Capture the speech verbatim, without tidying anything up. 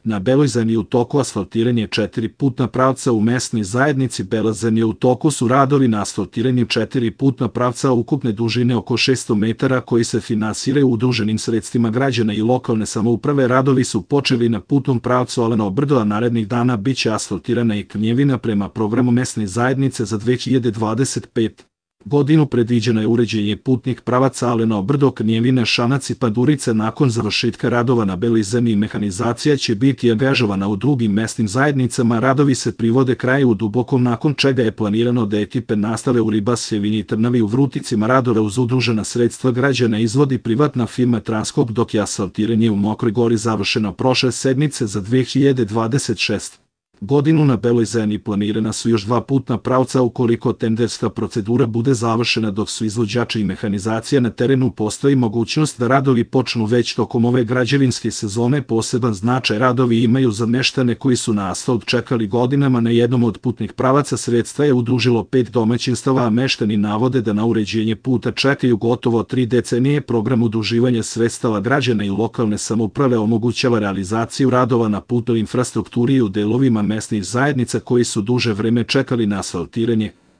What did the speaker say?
Na Beloj Zemlji u toku asfaltiranje četiri putna pravca u mesnoj zajednici Bela Zemlja. U toku su radovi na asfaltiranju četiri putna pravca ukupne dužine oko šesto metara koji se finansiraju udruženim sredstvima građana i lokalne samouprave. Radovi su počeli na putnom pravcu Aleno Brdo, a narednih dana biće asfaltirana i Knjevina. Prema programu mesne zajednice za dve hiljade dvadeset petu godinu predviđeno je uređenje putnih pravaca Aleno Brdo, Knjevina, Šanac i Pandurica. Nakon završetka radova na Beloj Zemlji mehanizacija će biti angažovana u drugim mesnim zajednicama. Radovi se privode kraju u Dubokom, nakon čega je planirano da ekipe nastale u Ribasjevini i Trnavi u Vruticima radove uz udružena sredstva građana izvodi privatna firma Transkop, dok je asfaltiranje u Mokroj Gori završeno prošle sedmice. Za dve hiljade dvadeset šestu godinu na Beloj Zemlji planirana su još dva putna pravca. Ukoliko tenderska procedura bude završena dok su izvođači i mehanizacija na terenu, postoji mogućnost da radovi počnu već tokom ove građevinske sezone. Poseban značaj radovi imaju za meštane koji su na asfalt čekali godinama. Na jednom od putnih pravaca sredstva je udružilo pet domaćinstava, a meštani navode da na uređenje puta čekaju gotovo tri decenije. Program udruživanja sredstava građana i lokalne samouprave omogućava realizaciju radova na putnoj infrastrukturi u delovima mesnih zajednica koji su duže vreme čekali na asfaltiranje.